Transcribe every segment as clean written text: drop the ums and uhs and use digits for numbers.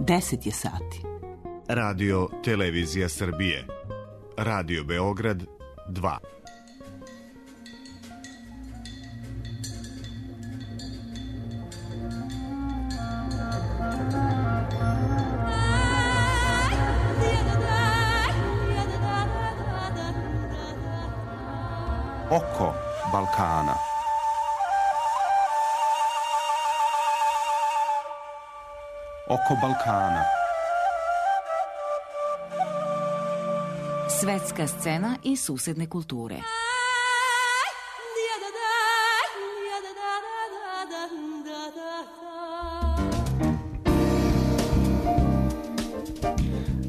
10 je sati. Radio Televizija Srbije. Radio Beograd 2. Oko Balkana. Oko Balkana. Svetska scena i susedne kulture.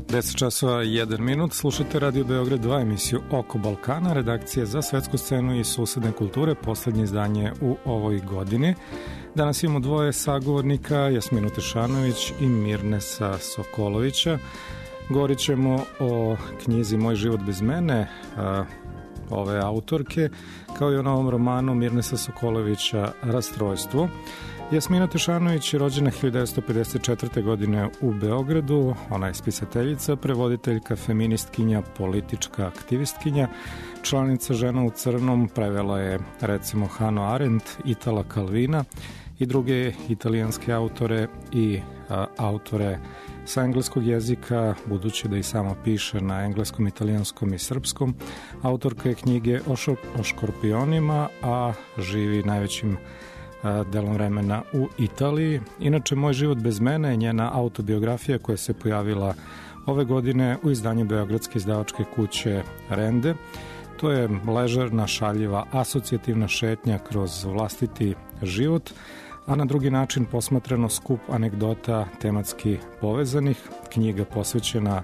Deset časova i 1 minut, slušate Radio Beograd 2, emisiju Oko Balkana, redakcije za svetsku scenu i susedne kulture, poslednje izdanje u ovoj godini. Danas imamo dvoje sagovornika, Jasminu Tešanović i Mirnesa Sokolovića. Govorit ćemo o knjizi Moj život bez mene, ove autorke, kao i o novom romanu Mirnesa Sokolovića Rastrojstvo. Jasmina Tešanović je rođena 1954. godine u Beogradu, ona je spisateljica, prevoditeljka, feministkinja, politička aktivistkinja, članica Žena u crnom, prevela je recimo Hannah Arendt, Itala Calvina i druge italijanske autore i autore sa engleskog jezika, budući da i sama piše na engleskom, italijanskom i srpskom. Autorka je knjige o škorpionima, a živi najvećim delom vremena u Italiji. Inače, Moj život bez mene je njena autobiografija koja se pojavila ove godine u izdanju beogradske izdavačke kuće Rende. To je ležerna, šaljiva, asocijativna šetnja kroz vlastiti život, a na drugi način posmatrano skup anegdota tematski povezanih, knjiga posvećena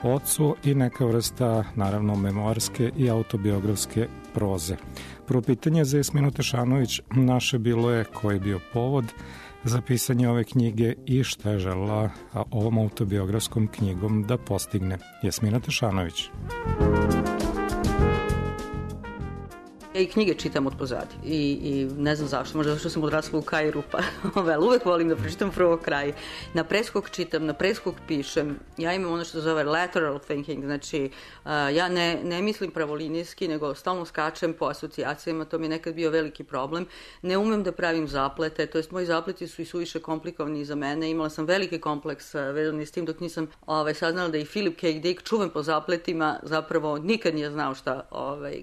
ocu i neka vrsta, naravno, memoarske i autobiografske proze. Prvo pitanje za Jasminu Tešanović naše bilo je koji je bio povod za pisanje ove knjige i šta je želela ovom autobiografskom knjigom da postigne. Jasmina Tešanović. Ja i knjige čitam od pozadi i ne znam zašto, možda zato što sam odrasla u Kairu, pa uvek volim da pročitam prvo kraj. Na preskok čitam, na preskok pišem, ja imam ono što se zove lateral thinking, znači ja ne mislim pravolinijski, nego stalno skačem po asocijacijama, to mi je nekad bio veliki problem. Ne umem da pravim zaplete, to jest moji zapleti su i suviše komplikovani za mene, imala sam veliki kompleks vezan s tim dok nisam saznala da i Philip K. Dick, čuven po zapletima, zapravo nikad nije znao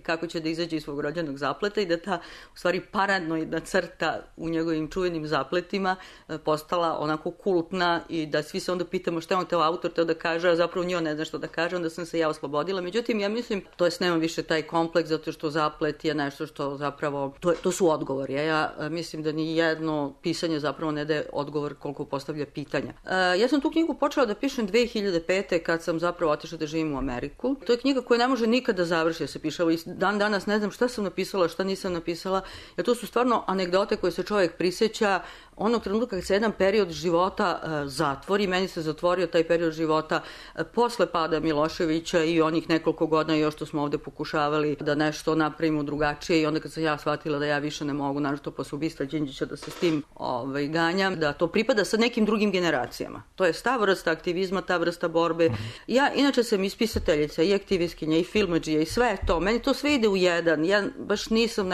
kako će da izađe iz svog rođenog zapleta i da ta, u stvari, paranoidna crta u njegovim čuvenim zapletima postala onako kultna i da svi se onda pitamo šta je on teo autor teo da kaže, a zapravo njo ne zna što da kaže, onda sam se ja oslobodila. Međutim, ja mislim, to jest nemam više taj kompleks zato što zaplet je nešto što zapravo, to su odgovori. Ja mislim da ni jedno pisanje zapravo ne daje odgovor koliko postavlja pitanja. Ja sam tu knjigu počela da pišem 2005. kad sam zapravo otišla da živim u Ameriku. To je knjiga koja ne može nikada završiti da se piše. I dan danas ne znam šta sam napisala, šta nisam napisala, jer to su stvarno anegdote koje se čovjek prisjeća onog trenutka kad se jedan period života zatvori. Meni se zatvorio taj period života posle pada Miloševića i onih nekoliko godina još što smo ovde pokušavali da nešto napravimo drugačije i onda kad sam ja shvatila da ja više ne mogu, naravno posle ubistva Đinđića, da se s tim ganjam, da to pripada sa nekim drugim generacijama. To je ta vrsta aktivizma, ta vrsta borbe. Ja inače sam i spisateljica, i aktivistkinja, i filmadžija, i sve to. Meni to sve ide u jedan. Ja baš nisam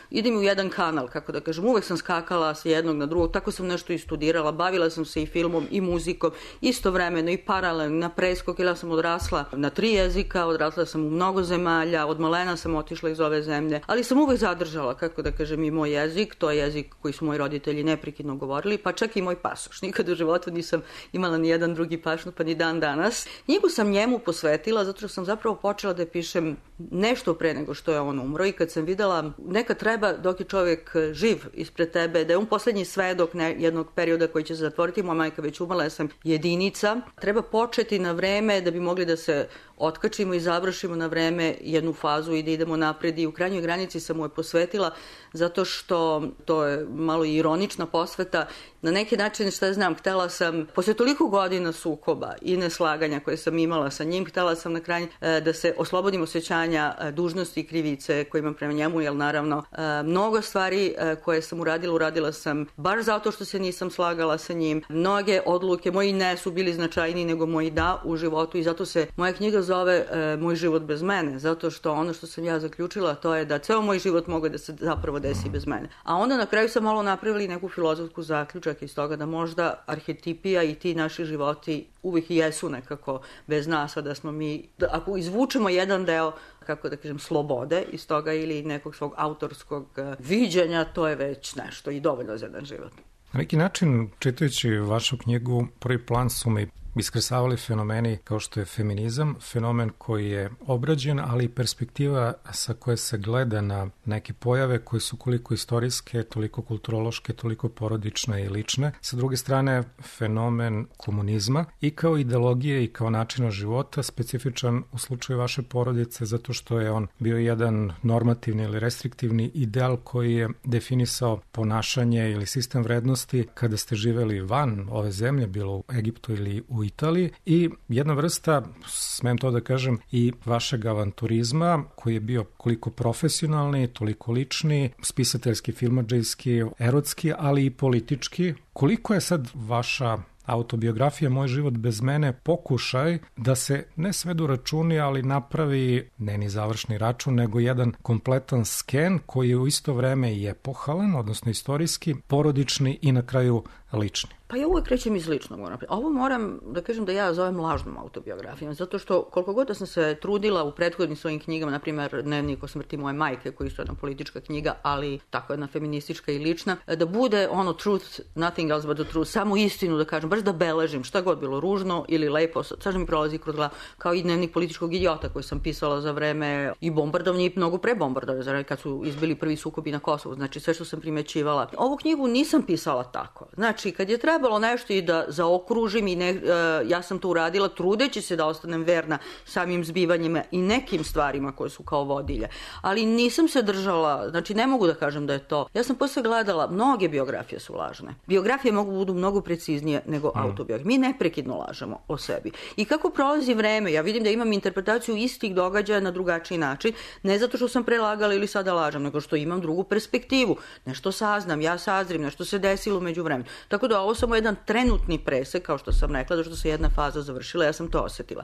idem u jedan kanal, kako da kažem. Uvek sam skakala s jednog na drugog, tako sam nešto i studirala, bavila sam se i filmom i muzikom, istovremeno i paralelno na preskok, jer ja sam odrasla na 3 jezika, odrasla sam u mnogo zemalja, od malena sam otišla iz ove zemlje, ali sam uvek zadržala, kako da kažem, i moj jezik, to je jezik koji su moji roditelji neprekidno govorili, pa čak i moj pasoš. Nikad u životu nisam imala ni jedan drugi pasoš, pa ni dan danas. Knjigu sam njemu posvetila, zato što sam zapravo počela da pišem nešto pre nego što je on umro i kad sam videla, nekad treba dok je čovjek živ ispred tebe, da je on poslednji svedok jednog perioda koji će se zatvoriti, moja majka već umrla, ja sam jedinica, treba početi na vreme da bi mogli da se otkačimo i završimo na vreme jednu fazu i da idemo napred i u krajnjoj granici sam mu je posvetila zato što to je malo ironična posveta. Na neki način, šta znam, htela sam, posle toliko godina sukoba i neslaganja koje sam imala sa njim, htela sam na kraju da se oslobodim osjećanja dužnosti i krivice koje imam prema njemu, jer naravno mnogo stvari koje sam uradila sam baš zato što se nisam slagala sa njim. Mnoge odluke moji ne su bili značajniji nego moji da u životu i zato se moja knjiga zove Moj život bez mene, zato što ono što sam ja zaključila to je da ceo moj život mogu da se zapravo desi bez mene. A onda na kraju sam malo napravili neku filozofsku zaključak iz toga da možda arhetipija i ti naši životi uvijek i jesu nekako bez nas, a da smo mi, ako izvučemo jedan deo, kako da kažem, slobode iz toga ili nekog svog autorskog viđenja, to je već nešto i dovoljno za jedan život. Na neki način, čitajući vašu knjigu, prvi plan su mi iskresavali fenomeni kao što je feminizam, fenomen koji je obrađen, ali i perspektiva sa koje se gleda na neke pojave koje su koliko istorijske, toliko kulturološke, toliko porodične i lične. Sa druge strane, fenomen komunizma i kao ideologije i kao načina života, specifičan u slučaju vaše porodice, zato što je on bio jedan normativni ili restriktivni ideal koji je definisao ponašanje ili sistem vrednosti kada ste živeli van ove zemlje, bilo u Egiptu ili u Italiji, i jedna vrsta, smem to da kažem, i vašeg avanturizma koji je bio koliko profesionalni, toliko lični, spisateljski, filmadžejski, erotski, ali i politički. Koliko je sad vaša autobiografija Moj život bez mene pokušaj da se ne svedu računi, ali napravi ne ni završni račun, nego jedan kompletan sken koji je u isto vreme i epohalan, odnosno istorijski, porodični i na kraju lični? Pa ja uvek krećem iz ličnog. Ovo moram da kažem da ja zovem lažnom autobiografijom, zato što koliko god da sam se trudila u prethodnim svojim knjigama, na primjer Dnevnik o smrti moje majke, koji su jedna politička knjiga, ali tako jedna feministička i lična, da bude ono truth, nothing else but the truth, samo istinu da kažem, baš da beležim šta god bilo ružno ili lepo, sad mi prolazi kroz glavu, kao i Dnevnik političkog idiota koji sam pisala za vreme i bombardovanja i mnogo pre bombardovanja, za vreme kad su izbili prvi sukobi na Kosovu, znači sve što sam primećivala. Ovu knjigu nisam pisala tako. Znači, kad je trebalo nešto i da zaokružim i ja sam to uradila trudeći se da ostanem verna samim zbivanjima i nekim stvarima koje su kao vodilje. Ali nisam se držala, znači ne mogu da kažem da je to. Ja sam posle gledala, mnoge biografije su lažne. Biografije mogu budu mnogo preciznije nego autobiografije. Mi neprekidno lažemo o sebi. I kako prolazi vreme, ja vidim da imam interpretaciju istih događaja na drugačiji način, ne zato što sam prelagala ili sada lažem, nego što imam drugu perspektivu. Nešto saznam, ja sazrim, nešto se desilo među vremenu. Tako da ovo samo jedan trenutni presek, kao što sam rekla, zato što se jedna faza završila, ja sam to osetila.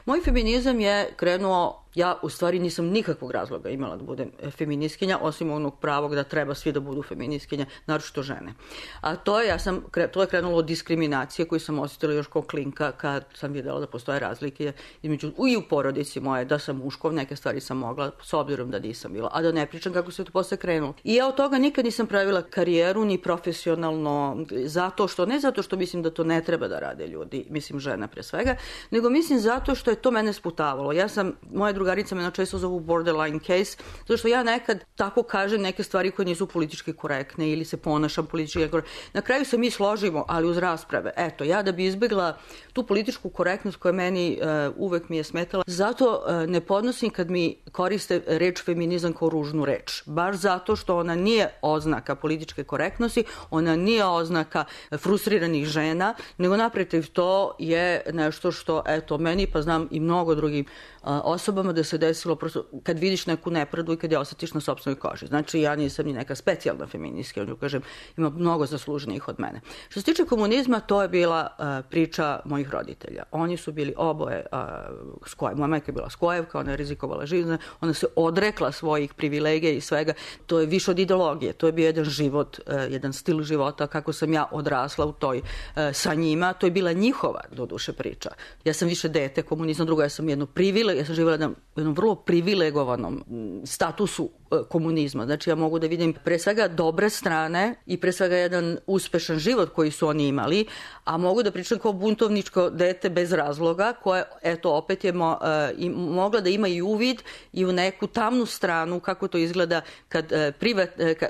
Moj feminizam je krenuo, ja u stvari nisam nikakvog razloga imala da budem feministkinja, osim onog pravog da treba svi da budu feministkinja, naročito žene. A to je krenulo od diskriminacije koju sam osetila još kao klinka kad sam videla da postoje razlike između, i u porodici moje, da sam muškov, neke stvari sam mogla, s obzirom da nisam bila, a da ne pričam kako se to posle krenulo. I ja od toga nikad nisam pravila karijeru ni profesionalno, ne zato što mislim da to ne treba da rade ljudi, mislim žena pre svega, nego mislim zato što je to mene sputavalo. Moja drugarica me često zovu borderline case, zato što ja nekad tako kažem neke stvari koje nisu politički korektne ili se ponašam politički korektne. Na kraju se mi složimo, ali uz rasprave. Eto, ja da bi izbjegla tu političku korektnost koja meni uvek mi je smetala, zato ne podnosim kad mi koriste reč feminizam kao ružnu reč. Baš zato što ona nije oznaka političke korektnosti, ona nije oznaka frustriranih žena, nego naprotiv to je nešto što, eto, meni pa znam i mnogo drugim osobama da se desilo prosto kad vidiš neku nepravdu i kad je osjetiš na sopstvenoj koži. Znači, ja nisam ni neka specijalna feministka, kažem, ima mnogo zasluženijih od mene. Što se tiče komunizma, to je bila priča mojih roditelja. Oni su bili oboje Skojev. Moja majka je bila Skojevka, ona je rizikovala život, ona se odrekla svojih privilegija i svega. To je više od ideologije, to je bio jedan život, jedan stil života, kako sam ja odrasla u toj sa njima. To je bila njihova, doduše, priča. Ja sam više dete komunizma, drugo, ja sam ja sam živjela na jednom vrlo privilegovanom statusu komunizma. Znači, ja mogu da vidim pre svega dobre strane i pre svega jedan uspešan život koji su oni imali, a mogu da pričam kao buntovničko dete bez razloga, koje, eto, opet je mogla da ima i uvid i u neku tamnu stranu kako to izgleda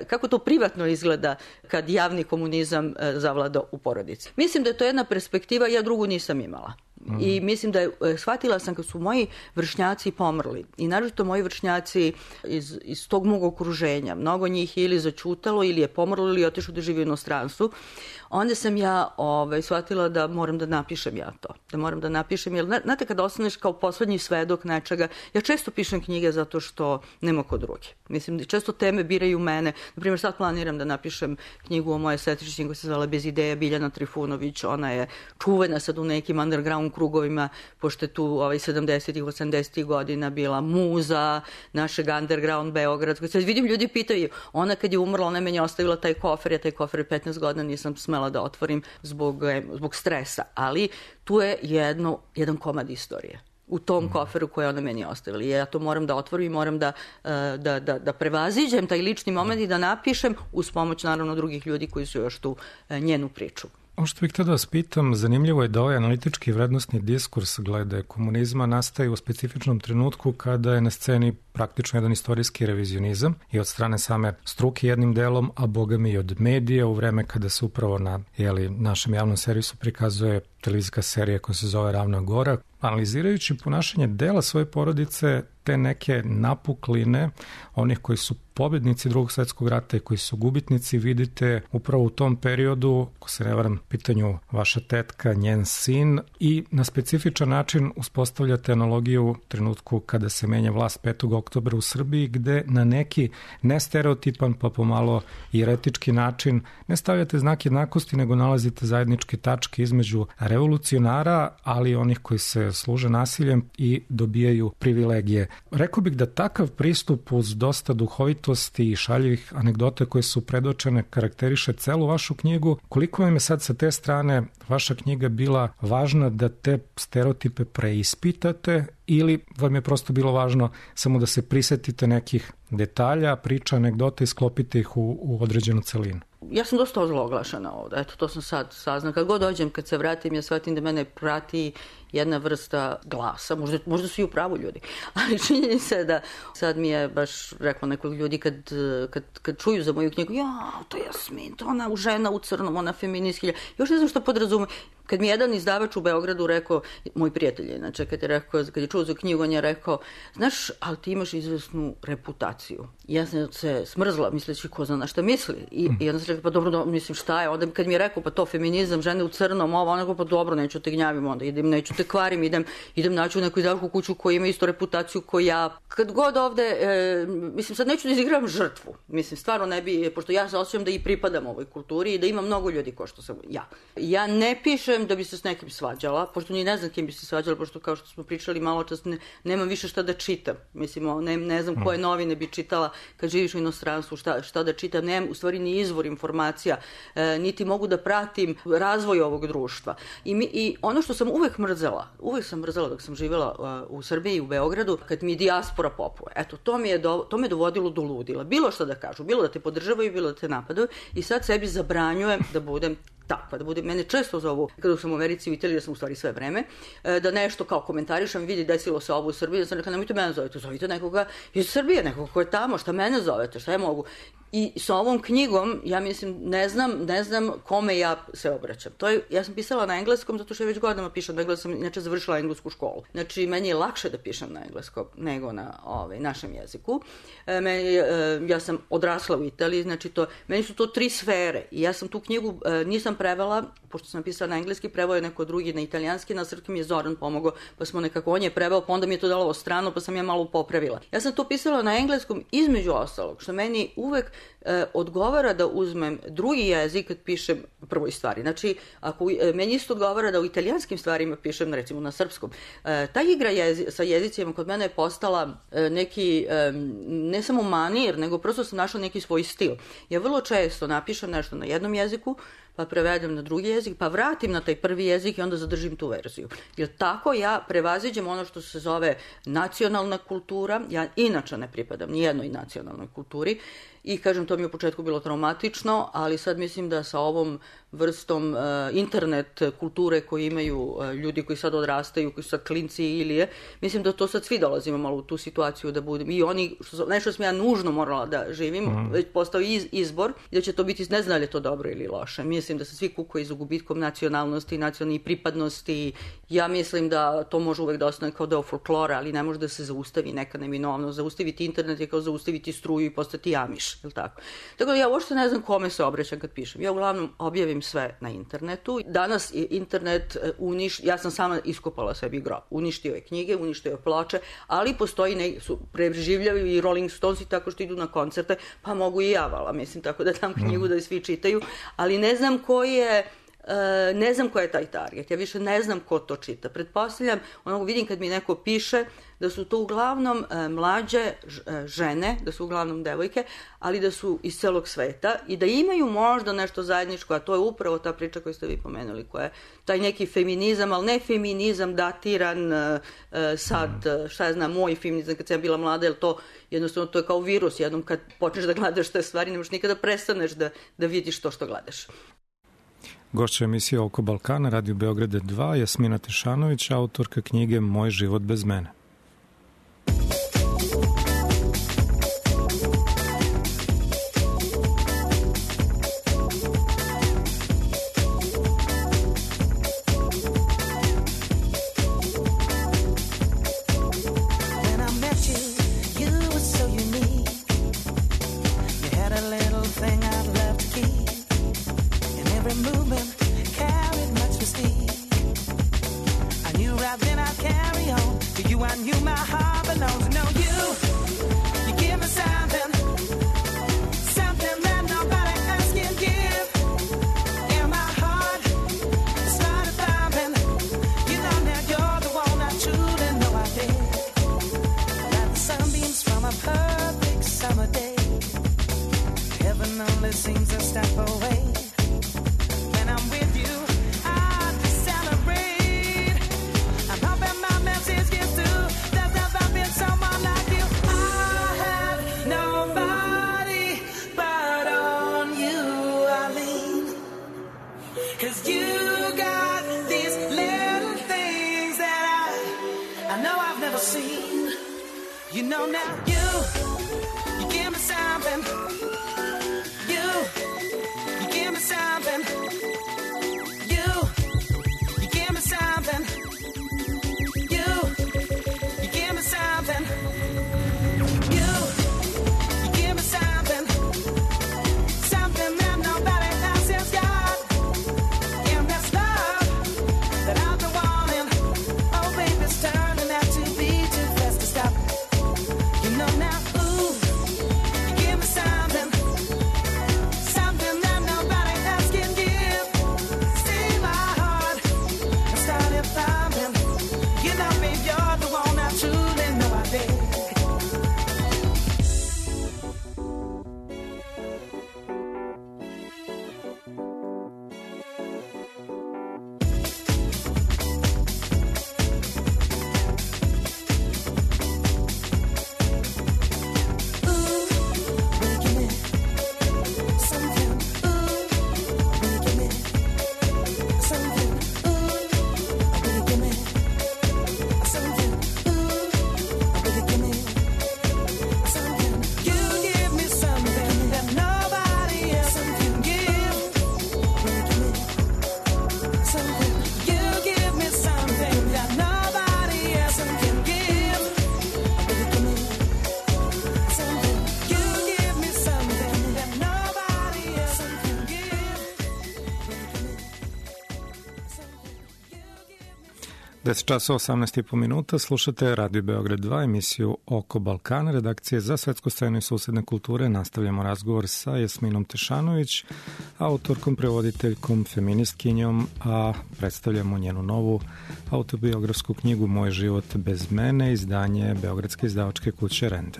kako to privatno izgleda kad javni komunizam zavlada u porodici. Mislim da je to jedna perspektiva, ja drugu nisam imala. I mislim da shvatila sam kad su moji vršnjaci pomrli i naročito moji vršnjaci iz tog mog okruženja, mnogo njih ili začutalo ili je pomrlo ili otišlo da živi u inostranstvu, onda sam ja shvatila da moram da napišem ja to. Da moram da napišem, jer znate kada ostaneš kao poslednji svedok nečega, ja često pišem knjige zato što nema ko drugi. Mislim, često teme biraju mene. Naprimjer, sad planiram da napišem knjigu o moje sestričnje koja se zvala Bez ideja, Biljana Trifunović. Ona je čuvena sad u nekim underground krugovima, pošto je tu 70-ih, 80-ih godina bila muza našeg underground Beogradskog. Sad vidim, ljudi pitaju, ona kad je umrla, ona je meni ostavila taj kofer, ja taj kofer 15 godina nisam smela da otvorim zbog stresa, ali tu je jedan komad istorije u tom koferu koje ona meni ostavila. Ja to moram da otvorim i moram da prevaziđem taj lični moment i da napišem uz pomoć naravno drugih ljudi koji su još tu njenu priču. Ono što bih htio da vas pitam, zanimljivo je da ovaj analitički vrednostni diskurs glede komunizma nastaje u specifičnom trenutku kada je na sceni praktično jedan istorijski revizionizam i od strane same struke jednim delom, a bogami i od medija u vreme kada se upravo na našem javnom servisu prikazuje televizijska serija koja se zove Ravna Gora. Analizirajući ponašanje dela svoje porodice, te neke napukline onih koji su pobednici Drugog svjetskog rata i koji su gubitnici, vidite upravo u tom periodu, ako se ne varam, pitanju vaša tetka, njen sin, i na specifičan način uspostavljate analogiju u trenutku kada se menja vlast 5. oktobra u Srbiji, gde na neki nestereotipan pa pomalo i eretički način ne stavljate znak jednakosti, nego nalazite zajedničke tačke između revolucionara, ali onih koji se služe nasiljem i dobijaju privilegije. Rekao bih da takav pristup uz dosta duhovitosti i šaljivih anegdota koje su predočene karakteriše celu vašu knjigu. Koliko vam je sad sa te strane vaša knjiga bila važna da te stereotipe preispitate ili vam je prosto bilo važno samo da se prisetite nekih detalja, priča, anegdota i sklopite ih u određenu celinu? Ja sam dosta ozloglašena ovde, eto, to sam sad saznala. Kad god dođem, kad se vratim, ja shvatim da mene prati jedna vrsta glasa, možda su i u pravu ljudi, ali činjenica je da sad mi je baš rekla nekoliko ljudi kad čuju za moju knjigu, to je Jasmin, to ona žena u crnom, ona feministkinja, još ne znam što podrazume. Kad mi jedan izdavač u Beogradu rekao, moj prijatelj, znači kad je čuo za knjigu, on je rekao, znaš, ali ti imaš izvesnu reputaciju. Ja sam se smrzla, misleći ko zna na šta misli. I onda sam rekao, pa dobro, mislim, šta je? Onda kad mi je rekao, pa to feminizam, žene u crnom, ona pa dobro, neću te gnjavim onda, neću te kvarim, idem naći u neku izdavačku kuću koja ima isto reputaciju koja ja. Kad god ovde, mislim, sad neću da izigram žrtvu. Mislim, stvarno ne bi, pošto ja se osjećam da i pripadam ovoj kulturi i da ima mnogo ljudi ko što sam ja. Ja ne pišem da bi se s nekim svađala, pošto ni ne znam kim bi se svađala, pošto kao što smo pričali malo čas, nemam više šta da čitam. Mislim, ne znam koje novine bi čitala kad živiš u inostranstvu, šta da čitam. Nemam u stvari ni izvor informacija, niti mogu da pratim razvoj ovog društva. I ono što sam uvek sam mrzela dok sam živjela u Srbiji i u Beogradu, kad mi dijaspora popuje. Eto, to me dovodilo do ludila. Bilo šta da kažu, bilo da te podržavaju, bilo da te napadaju i sad sebi zabranjujem da budem takva, da bude, mene često zovu, kada sam u Americi i u Italiji, da sam u stvari sve vreme, da nešto kao komentarišem, vidi desilo se ovo u Srbiji, da sam rekao, nemojte mene zovete, zovite nekoga iz Srbije, nekoga ko je tamo, šta mene zovete, šta ja mogu. I sa ovom knjigom, ja mislim, ne znam kome ja se obraćam. Ja sam pisala na engleskom, zato što ja već godinama pišem na engleskom, inače završila englesku školu. Znači, meni je lakše da pišem na engleskom nego na našem jeziku. Ja sam odrasla u Italiji, znači meni su to 3 sfere. I ja sam tu knjigu nisam prevela, pošto sam pisala na engleski, preveo je neko drugi na italijanski, na srpski mi je Zoran pomogao, pa smo nekako, on je preveo, pa onda mi je to dalo strano, pa sam ja malo popravila. Ja sam to pisala na engleskom između ostalog, što meni uvek odgovara da uzmem drugi jezik kad pišem prvoj stvari. Znači, meni isto odgovara da u italijanskim stvarima pišem, recimo na srpskom. Ta igra sa jezicima kod mene je postala neki, ne samo manir, nego prosto sam našla neki svoj stil. Ja vrlo često napišem nešto na jednom jeziku, pa prevedem na drugi jezik, pa vratim na taj prvi jezik i onda zadržim tu verziju. Jer tako ja prevaziđem ono što se zove nacionalna kultura. Ja inače ne pripadam nijednoj nacionalnoj kulturi i kažem, to mi je u početku bilo traumatično, ali sad mislim da sa ovom vrstom internet kulture koju imaju ljudi koji sad odrastaju, koji su sad klinci i Ilije, mislim da to sad svi dolazimo malo u tu situaciju da budem. I oni, nešto sam ja nužno morala da živim, već postao izbor, da će to biti, ne znam da li je to dobro ili loše. Mislim da se svi kukaju za gubitkom nacionalnosti, nacionalnih pripadnosti. Ja mislim da to može uvek da ostane kao deo folklora, ali ne može da se zaustavi neka neminovno. Zaustaviti internet je kao zaustaviti struju i postati jamiš, je li tako? Tako da ja uopšte ne znam kome se obraćam kad pišem. Ja uglavnom objavim stavim sve na internetu. Danas je internet ja sam sama iskopala sebi grob. Uništio je knjige, uništio je ploče, ali postoji preživljavaju i Rolling Stonesi tako što idu na koncerte, pa mogu i ja, vala, mislim, tako da dam knjigu da svi čitaju, ali ne znam ko je taj target, ja više ne znam ko to čita. Pretpostavljam, vidim kad mi neko piše da su to uglavnom mlađe žene, da su uglavnom devojke, ali da su iz celog sveta i da imaju možda nešto zajedničko, a to je upravo ta priča koju ste vi pomenuli, koja je taj neki feminizam, ali ne feminizam datiran sad, šta ja znam, moj feminizam kad sam ja bila mlada, jer to jednostavno to je kao virus, jednom kad počneš da gledaš te stvari, ne možeš nikada prestaneš da vidiš to što gledaš. Gošća emisije Oko Balkana, Radio Beograd 2, Jasmina Tešanović, autorka knjige Moj život bez mene. Časova 18,5 minuta, slušate Radio Beograd 2, emisiju Oko Balkana, redakcije za svetsku scenu i susedne kulture. Nastavljamo razgovor sa Jasminom Tešanović, autorkom, prevoditeljkom, feministkinjom, a predstavljamo njenu novu autobiografsku knjigu Moj život bez mene, izdanje Beogradske izdavačke kuće Rende.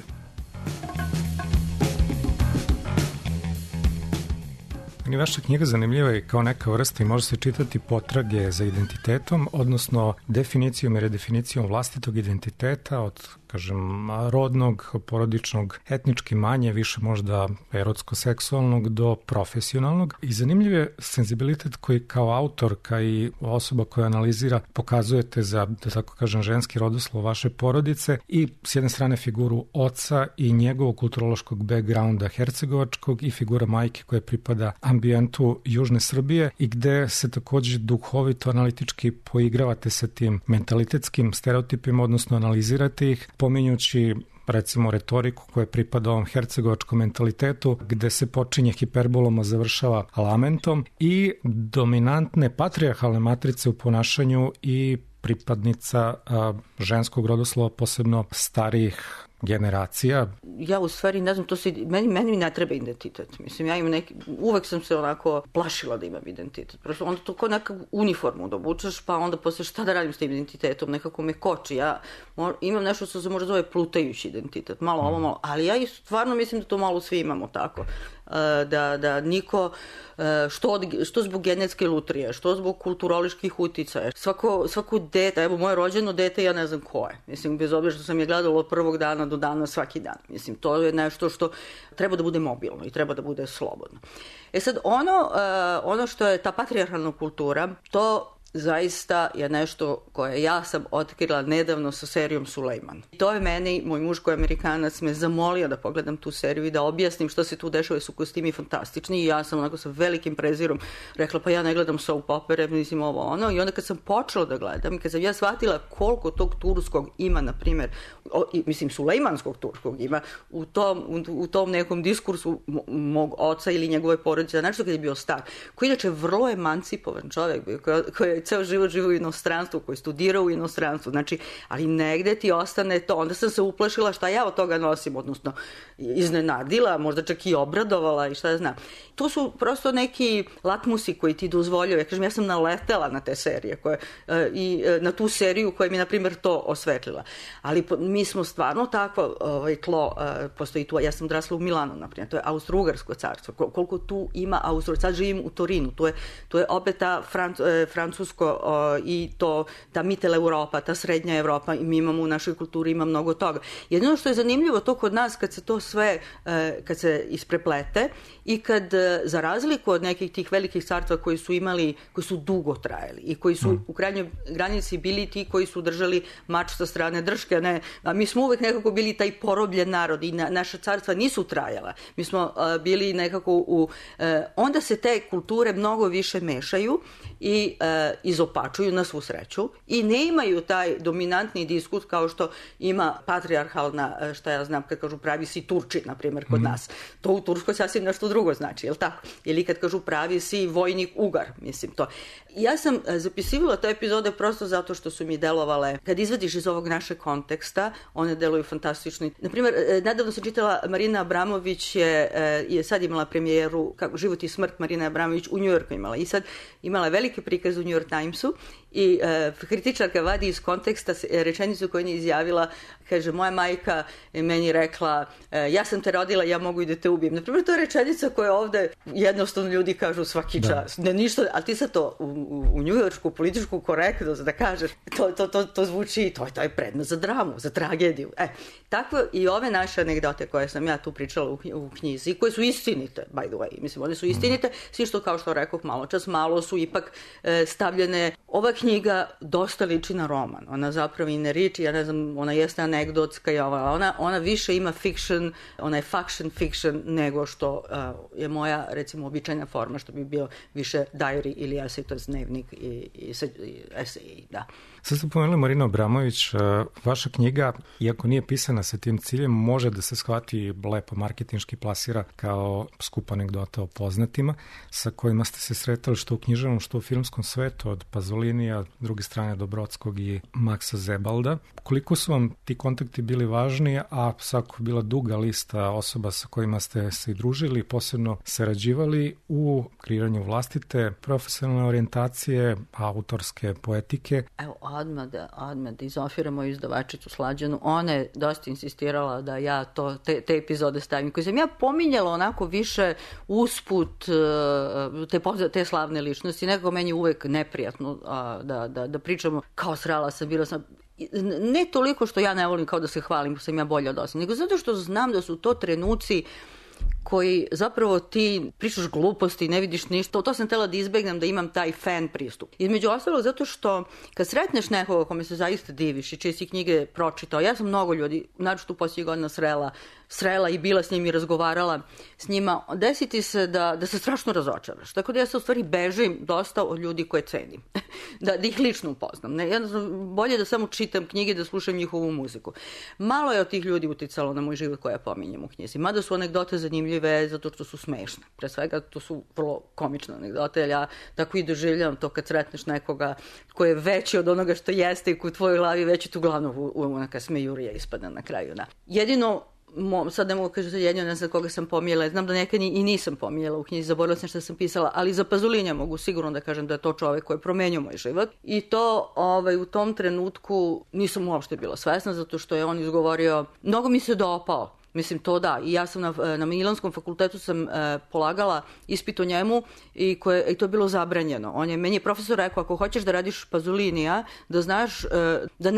Vaša knjiga zanimljiva je kao neka vrsta i može se čitati potrage za identitetom, odnosno definicijom i redefinicijom vlastitog identiteta od, kažem, rodnog, porodičnog, etnički manje, više možda erotsko-seksualnog do profesionalnog. I zanimljiv je senzibilitet koji kao autorka i osoba koja analizira pokazujete za, da tako kažem, ženski rodoslov vaše porodice i s jedne strane figuru oca i njegovog kulturološkog backgrounda hercegovačkog i figura majke koja pripada ambijentu Južne Srbije i gde se takođe duhovito analitički poigravate sa tim mentalitetskim stereotipima, odnosno analizirate ih, pominjući recimo retoriku koja pripada ovom hercegovačkom mentalitetu, gde se počinje hiperbolom, a završava lamentom, i dominantne patrijarhalne matrice u ponašanju i pripadnica ženskog rodoslova, posebno starijih generacija. Ja u stvari ne znam, meni ne treba identitet. Mislim, ja imam uvek sam se onako plašila da imam identitet. Prosto onda to kao neka uniformu da obučeš, pa onda posle šta da radim s tim identitetom, nekako me koči. Ja imam nešto što se možda zove plutajući identitet, malo ovo, malo, ali ja stvarno mislim da to malo svi imamo tako. Da niko, što zbog genetske lutrije, što zbog kulturoloških uticaja, svako dete, evo moje rođeno dete, ja ne znam ko je. Mislim, bez obzira što sam je gledala od prvog dana do dana svaki dan. Mislim, to je nešto što treba da bude mobilno i treba da bude slobodno. Sad, ono što je ta patrijarhalna kultura, to zaista je nešto koje ja sam otkrila nedavno sa serijom Sulejman. To je meni, moj muž koji je Amerikanac, me zamolio da pogledam tu seriju i da objasnim što se tu dešava, su kostimi fantastični i ja sam onako sa velikim prezirom rekla pa ja ne gledam soap opere, mislim ovo ono, i onda kad sam počela da gledam i kad sam ja shvatila koliko tog turskog ima, na primjer, mislim Sulejmanskog turskog ima u tom nekom diskursu mog oca ili njegove porodice, znači kad je bio star, koji inače vrlo emancipovan čovjek bio, koji je ceo život živo u inostranstvu, koji studirao u inostranstvu, znači, ali negde ti ostane to. Onda sam se uplašila šta ja od toga nosim, odnosno iznenadila, možda čak i obradovala i šta ja znam. To su prosto neki latmusi koji ti dozvoljaju. Ja kažem, ja sam naletela na te serije i na tu seriju koja mi, na primjer, to osvetlila. Ali mi smo stvarno takvo tlo, postoji tu, ja sam odrasla u Milanu, na primjer, to je Austro-Ugarsko carstvo. Koliko tu ima sad živim u Torinu, to je opet ta francusko i ta Mittel Europa, ta srednja Evropa, i mi imamo u našoj kulturi, ima mnogo toga. Jedino što je zanimljivo to kod nas, kad se to sve, kad se ispreplete i kad, za razliku od nekih tih velikih carstva koji su dugo trajali i koji su u krajnjoj granici bili ti koji su držali mač sa strane drške, ne, a mi smo uvek nekako bili taj porobljen narod i naša carstva nisu trajala. Mi smo bili nekako onda se te kulture mnogo više mešaju i izopačuju na svu sreću i ne imaju taj dominantni diskurs kao što ima patrijarhalna, šta ja znam, kad kažu pravi si Turčin, na primjer, kod nas. To u Turskoj sasvim nešto drugo znači, je li tako? Ili kad kažu pravi si vojnik Ugar, mislim to. Ja sam zapisivala te epizode prosto zato što su mi delovale, kad izvadiš iz ovog našeg konteksta, one deluju fantastično. Naprimjer, nedavno sam čitala, Marina Abramović je sad imala premijeru Život i smrt, Marina Abramović u Njujorku imala i sad imala veliki prikaz u New York Timesu i kritičarka vadi iz konteksta rečenicu koju je izjavila, kaže, moja majka je meni rekla, ja sam te rodila, ja mogu i da te ubijem. Naprimjer, to je rečenica koja ovde jednostavno ljudi kažu svaki čas. Ne, ništa, ali ti sad to u njujoršku političku korektnost da kažeš, to zvuči, to je predmet za dramu, za tragediju. Tako i ove naše anegdote koje sam ja tu pričala u knjizi, koje su istinite, by the way, mislim, one su istinite, svi što, kao što rekoh malo čas, malo su ipak stavljene. Ova knjiga dosta liči na roman, ona zapravo i ne liči, ja ne znam, ona jeste anegdotska i ona više ima fiction, ona je faction fiction nego što je moja, recimo, običajna forma, što bi bio više diary ili essay, to je dnevnik i essay, da. Sad ste pomenuli Marinu Abramović, vaša knjiga, iako nije pisana sa tim ciljem, može da se shvati lepo marketinški plasira kao skup anegdota o poznatima sa kojima ste se sretali što u književnom, što u filmskom svetu, od Pazolinija, druge strane Dobrotskog i Maksa Zebalda. Koliko su vam ti kontakti bili važni, a svako bila duga lista osoba sa kojima ste se i družili, posebno sarađivali u kreiranju vlastite profesionalne orijentacije, autorske poetike? Evo, odmah da izofiramo izdavačicu Slađanu, ona je dosta insistirala da ja te epizode stavim, koje sam ja pominjala onako više usput te slavne ličnosti, nekako meni uvek neprijatno da pričamo kao srala sam, bila sam, ne toliko što ja ne volim kao da se hvalim, sam ja bolja od osam, nego zato što znam da su to trenuci koji zapravo ti pričaš gluposti, ne vidiš ništa. To sam htela da izbegnem, da imam taj fan pristup. Između ostalog zato što kad sretneš nekoga kome se zaista diviš i čije si knjige pročitao, ja sam mnogo ljudi, naročito u posljednjih godina srela i bila s njim i razgovarala s njima, desiti se da se strašno razočaraš. Tako da ja se u stvari bežim dosta od ljudi koje cenim. da ih lično upoznam. Jednostavno, bolje da samo čitam knjige, da slušam njihovu muziku. Malo je od tih ljudi uticalo na moj život koja pominjem u knjizi. Mada su anegdote zanimljive zato što su smešne. Pre svega to su vrlo komične anegdote, jer ja tako i doživljavam to kad sretneš nekoga ko je veći od onoga što jeste i koji u tvojoj glavi veći tu glavno neka smejurija ispada na kraju. Da. Jedino sad ne mogu kažem jedino, ne znam koga sam pominjala, znam da nekad i nisam pominjala u knjizi, zaboravila sam što sam pisala, ali za Pazolinija mogu sigurno da kažem da je to čovek koji je promenio moj život i to u tom trenutku nisam uopšte bila svesna zato što je on izgovorio, mnogo mi se dopao. Mislim, to da. I ja sam na Milanskom fakultetu sam polagala ispit o njemu i to je bilo zabranjeno. Meni je profesor rekao, ako hoćeš da radiš Pazolinija, da znaš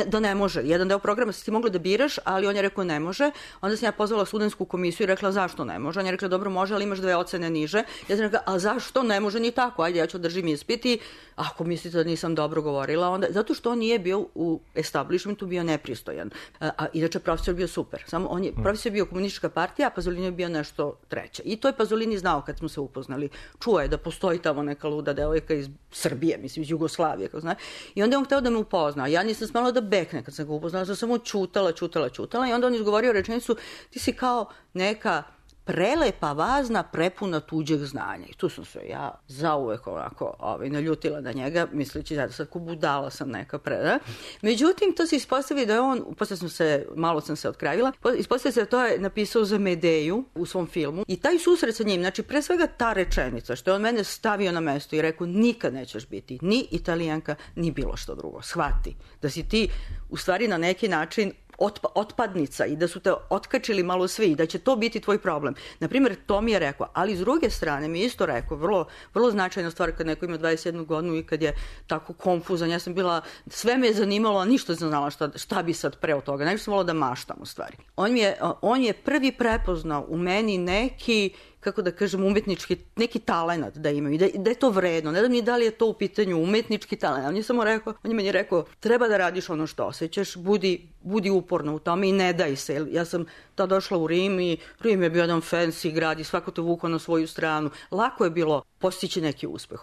da ne može. Jedan deo programa si ti mogla da biraš, ali on je rekao ne može. Onda sam ja pozvala studentsku komisiju i rekla zašto ne može. On je rekla dobro može, ali imaš 2 ocene niže. Ja sam rekla, a zašto ne može ni tako? Ajde, ja ću držim ispit i ako mislite da nisam dobro govorila, onda zato što on nije bio u establishmentu, bio nepristojan. A inače profesor bio super. Samo profesor bio komunistička partija, a Pazolini je bio nešto treće. I to je Pazolini znao kad smo se upoznali. Čuo je da postoji tamo neka luda devojka iz Srbije, mislim iz Jugoslavije, kako zna. I onda je on hteo da me upozna. Ja nisam smela da bekne kad sam ga upoznala, sam samo čutala i onda on izgovorio rečenicu, ti si kao neka prelepa vazna prepuna tuđeg znanja. I tu sam se ja zauvek onako naljutila na njega, misleći da sad ko budala sam neka Međutim, to se ispostavi da je on, malo sam se otkravila, ispostavi se da to je napisao za Medeju u svom filmu i taj susret sa njim, znači pre svega ta rečenica, što je on mene stavio na mesto i rekao nikad nećeš biti ni Italijanka, ni bilo što drugo. Shvati da si ti u stvari na neki način otpadnica i da su te otkačili malo svi i da će to biti tvoj problem. Naprimjer, to mi je rekao, ali s druge strane mi je isto rekao, vrlo, vrlo značajna stvar kad neko ima 21 godinu i kad je tako konfuzan. Ja sam bila, sve me je zanimalo, a ništa sam znala šta bi sad pre od toga. Nešto sam volila da maštam u stvari. On je prvi prepoznao u meni neki, kako da kažem, umetnički, neki talenat da imaju, da je to vredno. Ne znam ni da li je to u pitanju umetnički talent. On je meni rekao, treba da radiš ono što osjećaš, budi uporna u tome i ne daj se. Ja sam tad došla u Rim i Rim je bio jedan fancy grad i svako te vukao na svoju stranu. Lako je bilo postići neki uspeh,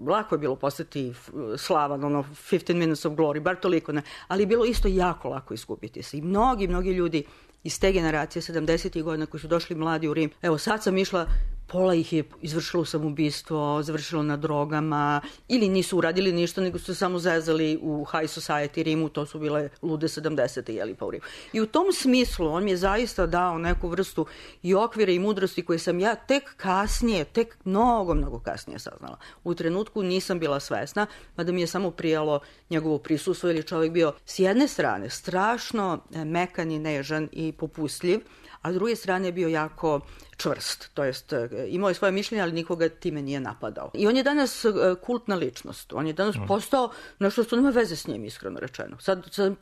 lako je bilo postati slavan, 15 minutes of glory, bar toliko ne, ali je bilo isto jako lako izgubiti se. I mnogi ljudi iz te generacije 70. godina koji su došli mladi u Rim. Evo, sad sam išla, pola ih je izvršilo samoubistvo, završilo na drogama, ili nisu uradili ništa, nego su se samo zezali u high society Rimu, to su bile lude 70. Pa u Rimu. I u tom smislu on mi je zaista dao neku vrstu i okvira i mudrosti koje sam ja tek mnogo kasnije saznala. U trenutku nisam bila svesna, mada mi je samo prijalo njegovo prisustvo, jer je čovjek bio s jedne strane strašno mekan i nežan i popustljiv, a s druge strane je bio jako čvrst, to jest imao je svoje mišljenje, ali nikoga time nije napadao. I on je danas kultna ličnost, on je danas postao nešto što nema veze s njim, iskreno rečeno.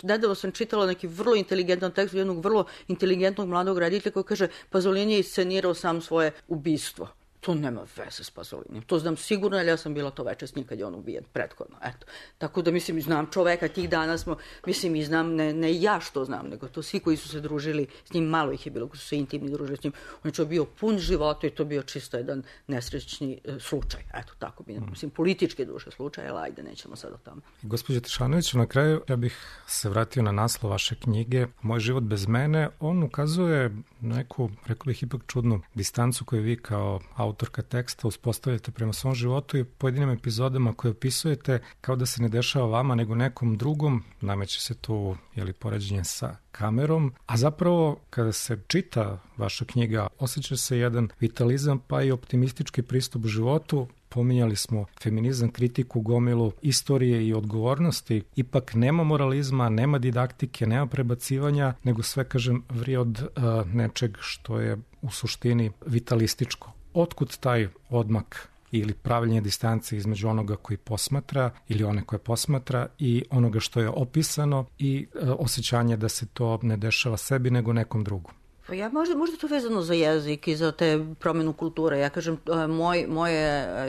Nedavno sam čitala neki vrlo inteligentan tekst jednog vrlo inteligentnog mladog reditelja koji kaže Pazolini je iscenirao sam svoje ubistvo. To nema veze s Pazolinijem. To znam sigurno, jer ja sam bila to veče s njim kad je on ubijen prethodno. Eto. Tako da, mislim, znam čoveka, tih dana smo, mislim, i znam, ne ja što znam, nego to svi koji su se družili s njim, malo ih je bilo koji su se intimni družili s njim. On je bio pun života i to bio čisto jedan nesrećni slučaj. Eto, tako bi, mislim, politički duše slučaj, ali ajde, nećemo sad o tome. Gospođo Tešanović, na kraju ja bih se vratio na naslov vaše knjige Moj život bez mene. On ukazuje neku, rekao bih, ipak čudnu distancu koju vi kao autorka teksta uspostavljate prema svom životu i pojedinim epizodama koje opisujete kao da se ne dešava vama nego nekom drugom. Nameće se tu poređenje sa kamerom, a zapravo kada se čita vaša knjiga osjeća se jedan vitalizam pa i optimistički pristup životu. Pominjali smo feminizam, kritiku, gomilu istorije i odgovornosti. Ipak nema moralizma, nema didaktike, nema prebacivanja, nego sve, kažem, vrije od nečeg što je u suštini vitalističko. Otkud taj odmak ili pravljenje distance između onoga koji posmatra ili one koje posmatra i onoga što je opisano i osjećanje da se to ne dešava sebi nego nekom drugom? Ja možda to vezano za jezik i za te promjenu kulture. Ja kažem,